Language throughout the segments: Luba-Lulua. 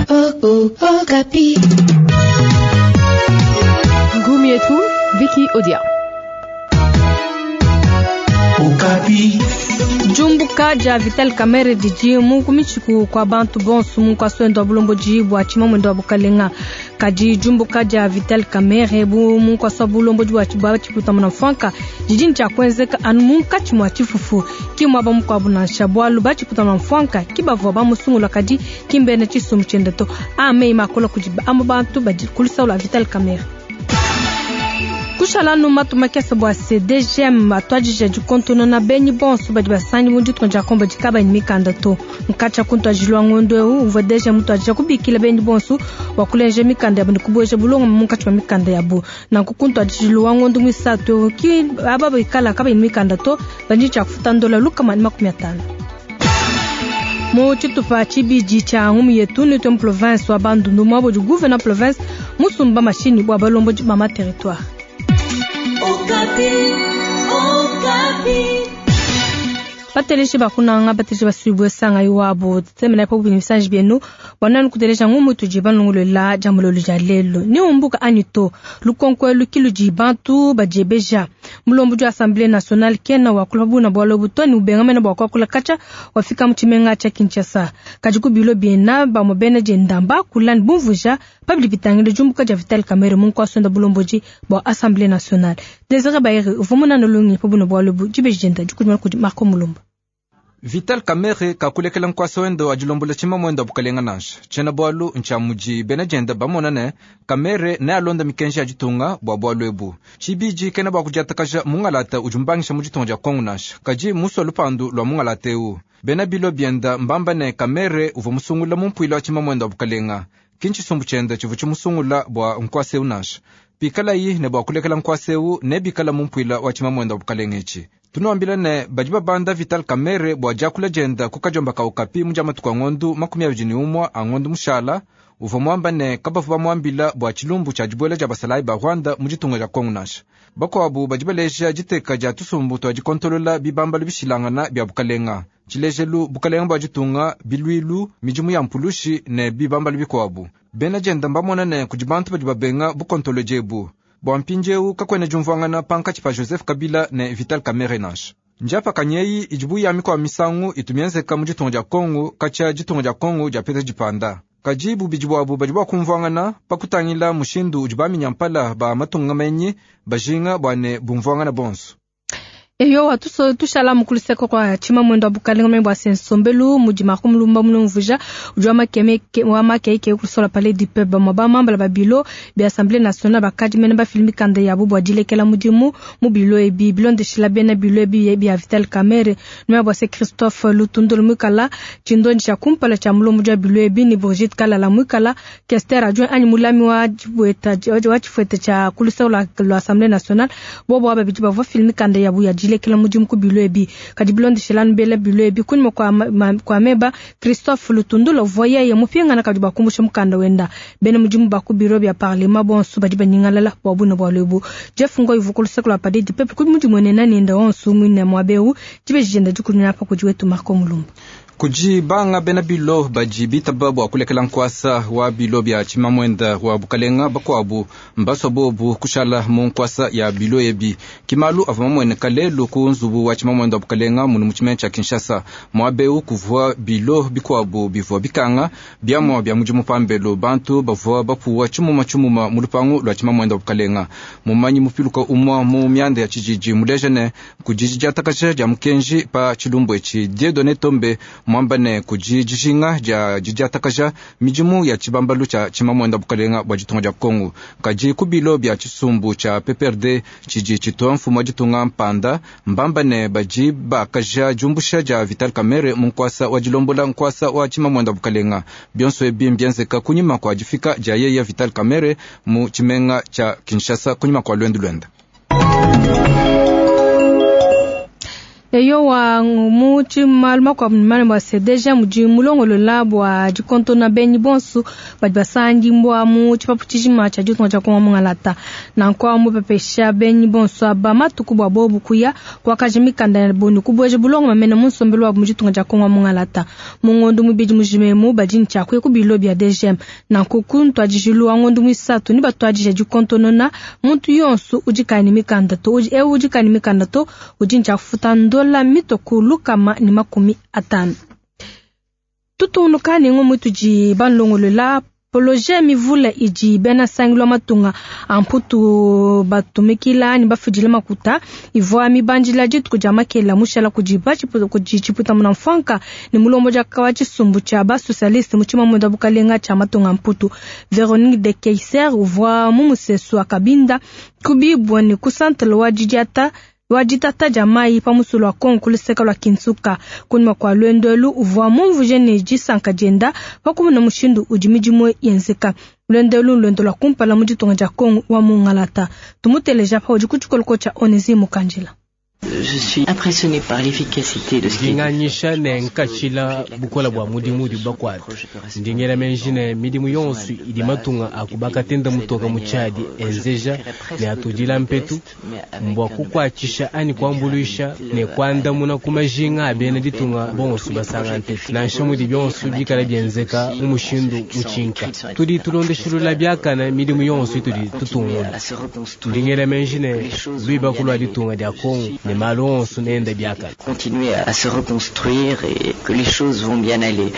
Okapi. Ngumi yetu Vicky Odia. Okapi. Diumbuka dia Vital Kamerhe didi mu kumitshiku kua bantu bonso mu nkuasa wa bulombodi bua tshimamuende wa bukalenga. Kadi diumbuka dia Vital Kamerhe bu mu nkuasa wa bulombodi bua tshipuita muna mfuanka didi ne tshia kuenzeka anu munkatshi mua tshifufu, ki muaba mukuabu nansha, bualu ba tshipuita muna mfuanka ki bavua bamusungula kadi ki mbena tshisumbu tshiende to. Aa meyi makola kudi amue bantu badi ku lusau lua Vital Kamerhe. Kushala anu matu makese bua CDGM atuadija dikontonona benyi bonso badi basangi mu ditunga dia Kongo badi kabayi ne mikanda to. Nkatshia ku ntuadijilu wa ngondo eu uvua DGM mutuadija kubikila benyi bonso bua kulengeja mikanda yabu ne kubueja bulongame munkatshi mua mikanda yabu. Nanku ku ntuadijilu wa ngondo muisatu eu ki aba bikala kabayi ne mikanda to badi ne tshia kufuta ndola 150. Mu tshitupa tshibidi tshia ngumu yetu netue mu province wa Bandundu muaba udi gouverneur province musumba mashinyi bua balombodi ba ma territoire. Okapi, Okapi. Bateleji bakunanga bateleji basuibue sanga iwabo tsemena pa bubini bisanji bienu bua nanu kuteleja ngumu tudi banongolola dia mulolo dia lelo ni umbuka anyi to lukonko elu ki ludi bantu badiebeja. Mulombodi wa Assemblée nationale kena wakula buna bualu ebu to ne ubenga mena bua kuakula katshia wafika mu tshimenga tshia Kinshasa. Kadi ku bilo biena bamue bena dienda mbakula ne bumvuija pa bidi bitangila diumbuka dia Vital Kamerhe mu nkuasa wenda bulombodi bua Assemblée nationale. Desire Bayere uvua munana lungenyi pa buna bualu ebu dibeji dienda dikudimuna kudi Marco Mulumba. Vital Kamerhe kakulekela nkuasa wende wa dilombola tshimamuende wa bukalenga nansha. Tshiena bualu ntshia mudi bena dienda bamona ne Kamerhe nealonda mikenji ya ditunga bua bualu ebu. Tshibidi kena bua kudiatakaja mungalata udi mubangisha mu ditunga dia Kongo nansha, kadi musua lupandu lua mungalata eu. Bena bilo bienda mbamba ne Kamerhe uvua musungula mu mpuilu wa tshimamuende wa bukalenga. Ki ntshisumbu tshiende tshivua tshimusungula bua nkuasa eu nansha. Pikalayi ne bua kulekela nkuasa eu nebikala mu mpuila wa tshimamuende wa bukalenga etshi. Tunuambila ne badi babanda Vital Kamerhe bua diakula dienda ku kadiomba ka Okapi mu dia matuku a ngondu 21 a ngondu mushala, uvua muamba ne kabavua bamuambila bua tshilumbu tshia dibuela dia basalayi ba Rwanda mu ditunga dia Kongo nansha. Bakuabu badi baleja diteka dia tusumbu tua dikontolola bibambalu bishilangana bia bukalenga. Tshilejelu bukalenga bua ditunga, biluilu, midimu ya mpulushi ne bibambalu bikuabu. Bena dienda mbamona ne kudi bantu badi babenga bukontolodi ebu. Bua mpindieu kakuena diumvuangana pankatshi pa Joseph Kabila ne Vital Kamerhe nansha. Ndiapakanyi eyi idi buya mikuabu misangu itu mienzeka mu ditunga dia Kongo katshia ditunga dia Kongo diapeta dipanda. Kadi bubidi buabu badi bua kumvuangana pa kutangila mushindu udi baminyampala ba matunga menyi bajinga bua ne bumvuangana bonso. Eyowa tushala mu kuluseka kua tshimamuende wa bukalenga mene bua se nsombelu mudi Marco Mulumba mulumvuija udi wa makeike kusola palais du peuple. Bamue bamambala ba bilo bia Assemblée nationale bakadi mene bafila mikanda yabu bua dilekela mudimu mu bilo ebi bilondeshila bena bilo ebi bia Vital Kamerhe numea bua se Christophe Lutundolo muikala tshindondi tshia kumpala tshia mulombodi wa bilo ebi ne Brigitte Kalala muikala Kester adjoint anyi mulami wa tshifuete tshia kuluseka lua Assemblée nationale. Bobo aba babidi bavua bafila mikanda yabu ya dilekela mudimu ku bilo ebi. Kadi bilondeshela nubela bilo ebi kunyima kua meba Christophe Lutundula uvua yeye mupingana kadi bakumbusha mukanda wenda. Bena mudimu ba ku biro bia parlement bonso badi banyingalala bua buna bualu ebu. Jeff Ngoyi uvua ku luseke lua Palais du Peuple kudi mudimuenena nenda wonso muine muaba eu. Dibeji dienda dikunyina pa kudi wetu Marco Mulumba. Kudi banga bena bilo badi bitaba bua kulekela nkuasa wa bilo bia tshimamuende wa bukalenga, bakuabu mbasua bobu kushala mu nkuasa ya bilo ebi. Ki malu avua mamueneka lelu ku nzubu wa tshimamuende wa bukalenga munu mu tshimenga tshia Kinshasa. Muaba eu kuvua bilo bikuabu bivua bikanga biamua bia mudimu pambelu, bantu bavua bapuwa tshimuma tshimuma mu lupangu lua tshimamuende wa bukalenga. Mumanyi mupiluka umua mu mianda ya tshididi muleja ne kudi didiatakaja dia mukenji pa tshilumbu etshi. Dieudonné Tombe muamba ne kudi dijinga dia didiatakaja midimu ya tshibambalu tshia tshimamuende wa bukalenga bua ditunga dia Kongo. Kadi ku bilo bia tshisumbu tshia PPRD tshidi tshitua mfumu wa ditunga mpanda mbamba ne badi bakaja diumbusha dia Vital Kamerhe mu nkuasa wa dilombola nkuasa wa tshimamuende wa bukalenga. Bionso ebi mbienzeka kunyima kua difika dia yeye Vital Kamerhe mu tshimenga tshia Kinshasa kunyima kua luendu luenda. Eyowa, mu malu makuabu mane bua sedeja mudi mulongolola bua dikontona benyi bonso badi basangibua mu tshipapu tshijima tshia ditunga dia Kongo mungalata. Nanku mupepesha benyi bonso aba matuku bua bobu kuya kuakaja mikanda ya boni kubueja bulongo mamene mu nsombelu wabu mu ditunga dia Kongo mungalata. Mu ngondo mubidi mujimemu badi ne tshia kuya ku bilo bia DGM. Nanku ku ntuadijilu wa ngondo muisatu ne batuadija dikontonona muntu yonso udi kayi ne mikanda to, eu udi kayi ne mikanda to udi ne tshia kufuta ndola mitoku 150. Tutungunuka ne ngumu tudi balongolola poloje mivula idi bena sangilwa matunga amputu batumikila ni bafudila makuta ivwa mibandila dituku dia makela mushala kudi kudi tshiputa muna mfanka ni mulombo dia kawa tshisumbu tshia ba socialiste mu tshimamunda bukalenga tshia matunga amputu. Veronique de Keyser uvwa mu musesu wa Kabinda kubibwa ni kusantala wa didiata wa ditata dia mai pa musulu wa Kongo kuluseka lwa Kinsuka. Kunyuma kwa lwendo uvwa mumvuje ne disanka dienda pakumuna mushindu udi midimu yenzeka. Lwendo lwendo lwa kumpala mu ditunga dia Kongo wa mungalata. Tumuteleja pa udi ku tshikoloko tshia Onesi Mukandjila. Je suis impressionné par l'efficacité de ce qui Nganyisha ne nkachila bukola bwa mudimu udi bakwata ndingela menjine midimu yonso idi matunga akubakatenda mutoka muchadi enzeja ne atudila mpetu mbwa kukwachisha ani kwambuluisha ne kwandamuna kumajinga abene ditunga bonso basanga ntetu nansha mudi byonso bikala byenzeka mu mushindu muchinka tudi tulondeshilula byakana midimu yonso itudi tutungula ndingela menjine lwiba kulwa ditunga dia Kongo ne malonso nenda biakana continuer à se reconstruire et que les choses vont bien aller.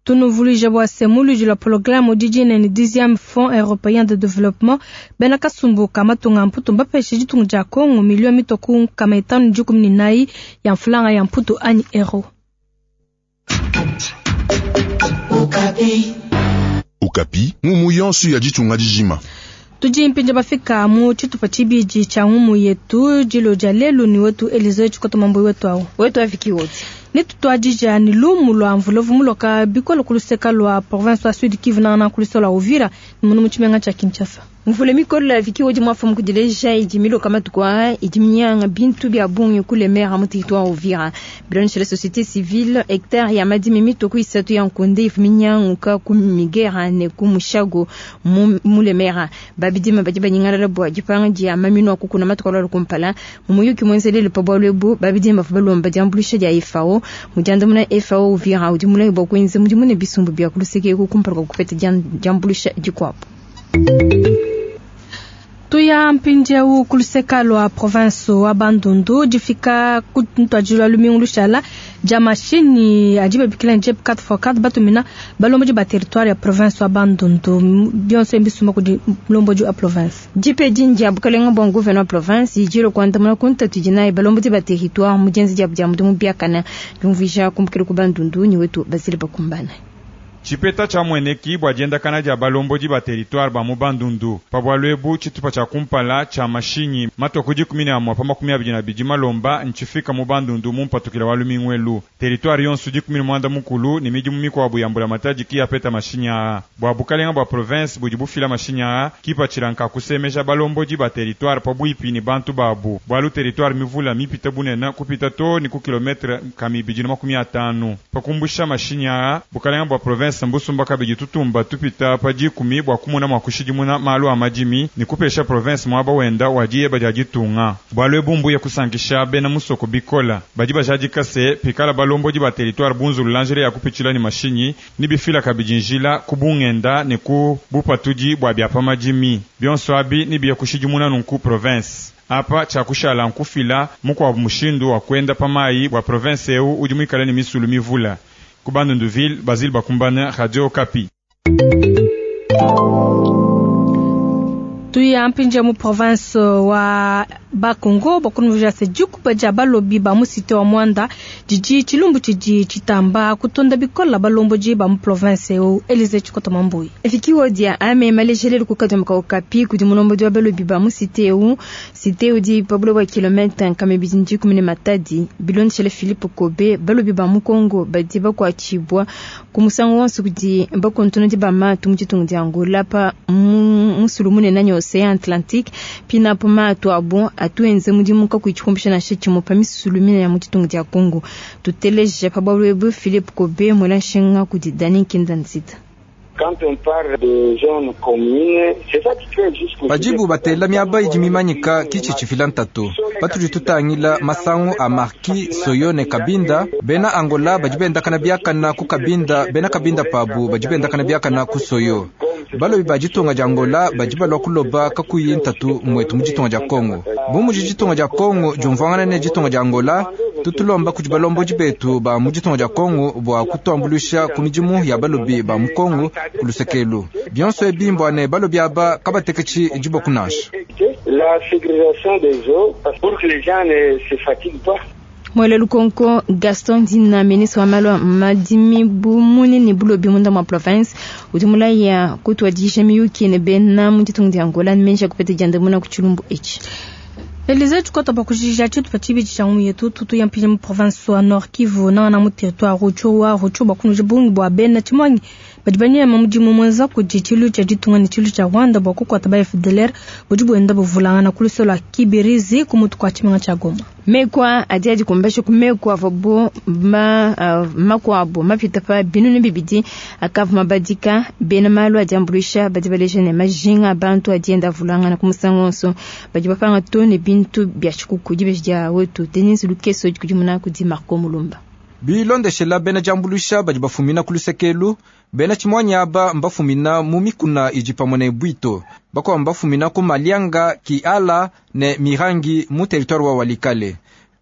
Tunuvulija bua semulu la programme dijine ni 10e Fonds européen de développement bena kasumbu kamatunga mputu mbapeshe ditunga dia Kongo milio mitoku kama itanu dikumi ni nayi ya mfulanga ya mputu ani euro. Okapi. Okapi, ngumu yonso ya ditunga dijima. Tudi mpinja bafika mu tshitupa tshibidi tshia ngumu yetu dilo dia lelu ni wetu Elize tshikoto mambo wetu awo wetu afiki wote ni tutwadija ni lumu lwa mvulovu muloka bikolo kuluseka lwa province wa Sud Kivu na kuluseka lwa Uvira ni munu mutshimenga tshia Kinshasa. Mvule mikolo ya viki odi mwafu mkudileja idimilo kama tukwa idiminyanga bintu bya bungi kule mera mu territoire Uvira. Bilonche la société civile hectare ya madimi mitoku isatu ya nkonde ifuminyanga ka kumigera ne kumushago mule mera. Babidima badi banyingala bwa dipanga dia mamino akukuna matukola lukumpala mumuyuki mwenzelele pa bwalwebu babidima balomba diambulisha dia FAO mujanda muna FAO Uvira udi mulayi bwa kwenze mudi mune bisumbu bya kuluseke kukumpala kupeta diambulisha dikwapo. Tuya mpindieu kuluseka lwa province wa Bandundu difika kuntwajilwa lumingu lushala dia mashini adi babikila ni JEP 4x4 batumina balomboji ba territoire ya province wa Bandundu bionso mbisuma kudi mulomboji wa province. Jipe jinja bukalenga bwa gouverneur wa province ijiro kwandamuna kuntatu jinayi balomboji ba territoire mujenzi dia bya mudimu byakana jumvisha kumbukira ku Bandundu ni wetu basile bakumbana. Chipeta cha mweneki bwa diendakana dia balomboji ba territoire ba mu Bandundu pa lwebu tshitupa tshia kumpala tshia mashinyi matoku 11 pa 22 malomba ntshifika mu Bandundu mu mpatukila wa lumingwelu territoire yonso 11 mukulu ni midimu mikwabu ya mbula matadi ki apeta mashinyi aa bwa bukalenga bwa province budi bufila mashinyi aa kipatshilanka kusemeja balomboji ba territoire pa bwipi ni bantu babu bwalu territoire mivula mipita bunena kupita to ni ku kilometre kami 250 pakumbusha mashinyi aa bukalenga bwa province mbusumba kabidi tutumba tupita pa 10 bwa kumuna mwa kushidimuna malu a madimi ni kupesha province mwaba wenda wadiye badia ditunga bwalu ebumbu ya kusankisha bena musoko bikola badi bajadika se pikala balombodi ba territoire bunzulu lanjele ya kupitshila ni mashinyi ni bifila kabidi njila kubungenda ni ku bupatudi bwa byapa madimi bionso abi ni biya kushidimuna nunku province apa chakushala nkufila mukwa mushindu wa kwenda pamayi bwa province eu udi mwikale ni misulu mivula ku Bandunduville, Basile Bakumbana, Radio Okapi. Tuya mpinja mu province wa Bakongo bakunuvija se dikuba dia balobi ba musite wa Mwanda didi tshilumbu tshidi tshitamba kutonda bikola balomboji ba mu province eu Elize Tshikota Mambui. Efikiwa dia ame malejelele kukadwa Okapi kudi mulomboji wa balobi ba musite eu site udi pabulo wa kilomètre nkame bidindi kumene matadi bilonshele Philippe Kobe balobi ba mu Kongo badi bakwatshibwa ku musangu wonso kudi bakontono di ba matu mu tshitungu dia Angola pa mu musulu munene anyi Ocean Atlantique. Pinapo maatu abu atu enza mudimu kakuyi tshikumbisha nansha tshimue pa misulu minene ya mu ditunga dia Congo. Tuteleje pa bualu ebu Philippe Kobe muela nshinga kudi Dany Nkinda Nzita. Padibu batela miaba idi mimanyika ki tshidi tshifila ntatu. Patudi tutangila masangu a Marquis, Soyo ne Kabinda, bena Angola badi bendakana biakana ku Kabinda, bena Kabinda pabu badi bendakana biakana ku Soyo. Balobi ba ditunga dia Angola badi balua kuloba kakuyi ntatu muetu mu ditunga dia Congo. Bu mudi ditunga dia Congo diumvuangana ne ditunga dia Angola, tutulomba kudi balombodi betu ba mu ditunga dia Congo bua kutuambuluisha ku midimu ya balobi ba mu Congo ku lusekelu. Bionso ebi mbua ne balobi aba kabateketshi diboko nansha. La ségrégation des eaux pour que les gens ne se fatiguent pas. Mwele lukonko Gaston Dina ministre wa malu a madimi bumuni ne bulobi munda mua province udi mulaya kutuadija miyuki ne bena mu ditunga dia Angola ne menji kupeta diandamuna ku tshilumbu etshi. Elize tukota bakujija tshitupa tshibidi tshia ngumu yetu tutu ya mpinyi mu province wa Nord Kivu nangana mu territoire Rutshuru wa Rutshuru bakunuje bungi bua bena tshimangi badi banyema mudimu mwenza kudi tshilu tshia ditunga ne tshilu tshia Rwanda bua kukuata ba FDLR budi buenda buvulangana ku lusolo lua Kibirizi ku mutu kua tshimenga tshia Goma. Mekwa adi adikumbasha ku mekwa avobo ma makuabu mapita pa binunu bibidi akavu mabadika bena malu adi ambuluisha badi baleja ne majinga abantu adi enda avulangana ku musangu wonso badi bapanga to ne bintu bia tshikuku dibeji dia wetu Denise Lukeso dikudimuna kudi Marco Mulumba. Bilondeshela bena diambuluisha badi bafumina ku lusekelu bena tshimuanyi aba mbafumina mu mikuna idi pamue ne bwito bakuabu mbafumina ku Malianga, Kiala ne Mirangi mu territoire wa Walikale.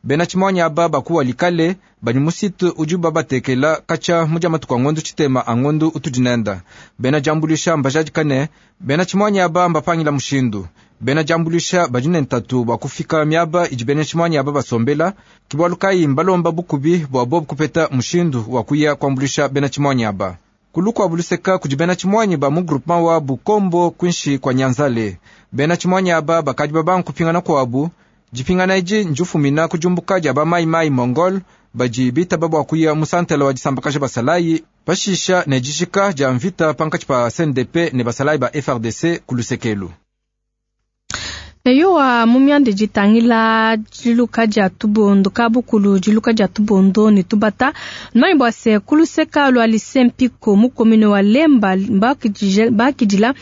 Bena tshimuanyi aba baku Walikale badi mu site udi babatekela katshia mu dia matuku a ngondu tshitema a ngondu utudi nenda. Bena diambuluisha mbajadika ne bena tshimuanyi aba mbapangila mushindu. Bena diambuluisha badi ne ntatu bua kufika miaba idi bena tshimuanyi aba basombela ke bualu kayi mbalomba bukubi bua bobu kupeta mushindu wa kuya kuambuluisha bena tshimuanyi aba. Kulukuabu luseka kudi bena tshimuanyi ba mu groupement wa Bukombo kuinshi kua Nyanzale. Bena tshimuanyi aba bakadi babanga kupingana kuabu. Dipingana edi ndifumina ku diumbuka dia ba Mai Mai Mongol badi bitaba bua kuya mu santela wa disambakaja basalayi pashisha ne dijika dia mvita pankatshi pa CNDP ne basalayi ba FRDC ku lusekelu. Eyowa mu mianda ditangila diluka dia tubondo kabukulu diluka dia tubondo ne tubata numanyi bua se ku luseka lua lycée Mpiko mu commune wa Lemba bakidila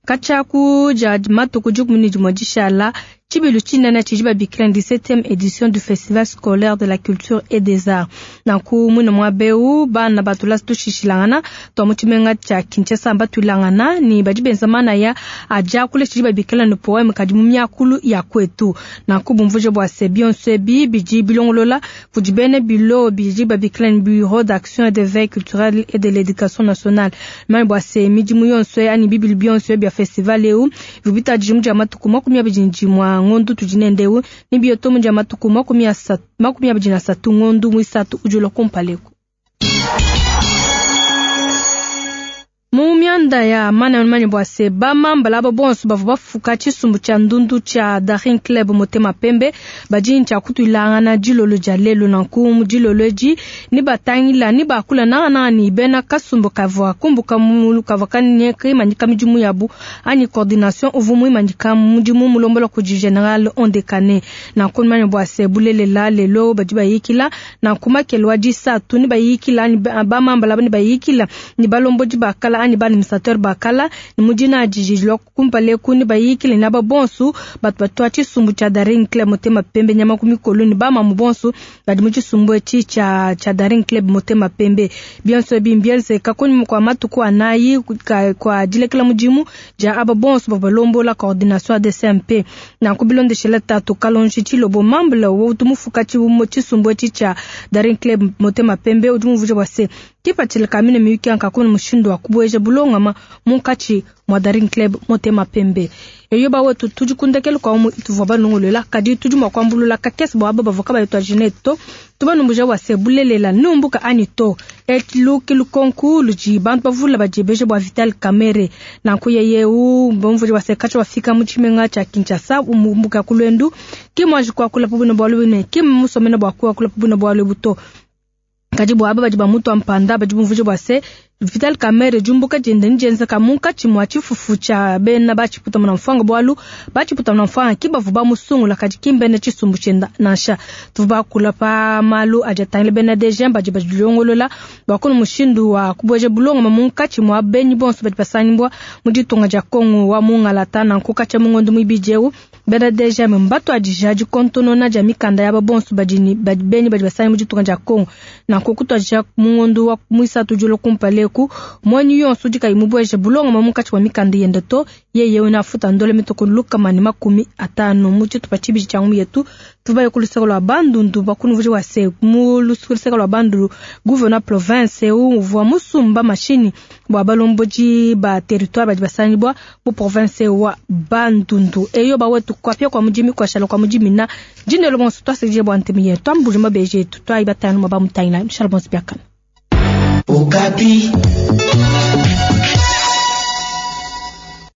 katshia ku dia matuku dikumi ne dimue dishala tshibilu tshinene tshidi babikila 17e édition du festival scolaire de la culture et des arts. Nanku muine muaba eu bana batulasi tushishilangana tua mu tshimenga tshia Kinshasa mbatuilangana ne badi benza manaya a diakula tshidi babikila ne poeme kadi mu miakulu ya kwetu. Nanku bumvuje bua se bionso ebi bidi bilongolola kudi bena bilo bidi babikila ne bureau d'action et de veille culturelle et de l'éducation nationale. Mani bua se midimu yonso anyi bibilu bionso bia festival eu bivua mu dia matuku 21 ngondu tudi nendeu ni bioto mu dia matuku 23 ngondu muisatu ujula kumpaleko. Mu mianda ya mana mani bua se bamambala aba bonso bavua bafuka tshisumbu tshia ndundu tshia Daring Club Motema Pembe badi ntshia kutuilangana dilolo dia lelu. Nanku mu dilolo edi ni batangila ni bakula nangananga ni bena kasumbu kavua kumbuka mulu kavua kaimanyika midimu yabu anyi coordination uvua muimanyika mudimu mulombola kudi General Ondekane. Nanku mani bua se bulelela lelo badi bayikila nanku makelo wa disatu ni bayikila ni bamambala ni bayikila ni balombodi bakala ani ba administrateur bakala ni mudina adijijilwa kumpale kuni bayikile na babonsu batu batwa tshisumbu tshia Daring Club Motema Pembe nyama ku mikolo ni bamamu bonsu badi mu tshisumbu etshi tshia Daring Club Motema Pembe. Bionso ebi mbienzeka kunyima kua matuku anayi kua dilekela mudimu dia aba bonsu bavua balombola coordination ya DCMP. Nanku bilondeshela tatu Kalonji Tshilobo mambula utu mufuka tshisumbu etshi tshia Daring Club Motema Pembe udi mumvuija bua se kipatshila ka mine miyuki yanka kuna mushindu wa kubueja bulongama munkatshi mwa Daring Club Motema Pembe. Eyo ba wetu tudi kundekelu kwa umu ituvua banongolola kadi tudi mwa kuambulula kakese bua aba bavua kabayi tua jineto tubanumbuja bua se bulelela numbuka ani to etiluki lukonku ludi bantu bavula badiebeja bua Vital Kamerhe. Nanku yeyeu bamvuja bua se katshia bafika mu tshimenga tshia Kinshasa umbuka kulwendu ki mwanji kuakula pa buna bualu bune ki musomena bua kuakula pa buna bualu ebu to. Kadi bua aba badi bamutua mpanda badi bumvuja bua se Vital Kamerhe diumbuka diende ndienzeka munkatshi mua tshifufu tshia bena ba tshiputa mfuanga, bualu ba tshiputa mfuanga ki bavua bamusungula kadi ki mbena tshisumbu tshienda nansha. Tuvua bakula pa malu adi atangila bena DGM badi badilongolola bua kuna mushindu wa kubueja bulongama munkatshi mua benyi bonso badi basangibua mu ditunga dia Kongo wa mungalata. Nanku katshia mu ngondo muibidi eu bena DGM mbatuadija dikontonona dia mikanda yaba bonso badi benyi badi basangibua mu ditunga dia Kongo. Nanku kutuadija mu ngondo wa muisatu udi ulua kumpala eku, muenyi yonso udi kayi mubueje bulongama munkatshi mua mikanda yende to, yeye unafuta ndole mitoko 150. Mu tshitupa tshibidi tshia ngumu yetu tuvaye ku luseke lua Bandundu bakunuvuji wa se mu luseke lua Bandundu gouverneur province eu uvua musumba mashini bua balombodi ba territoire badi basangibua mu province wa Bandundu. Eyo bawetu kwapia kwa mudimi kwashala kwa mudimi na dindelo bonso twasekije bua ntemi yetu twambuli mabeji etu twayi batanu mabamutangila mshala bonso biakana. Okapi.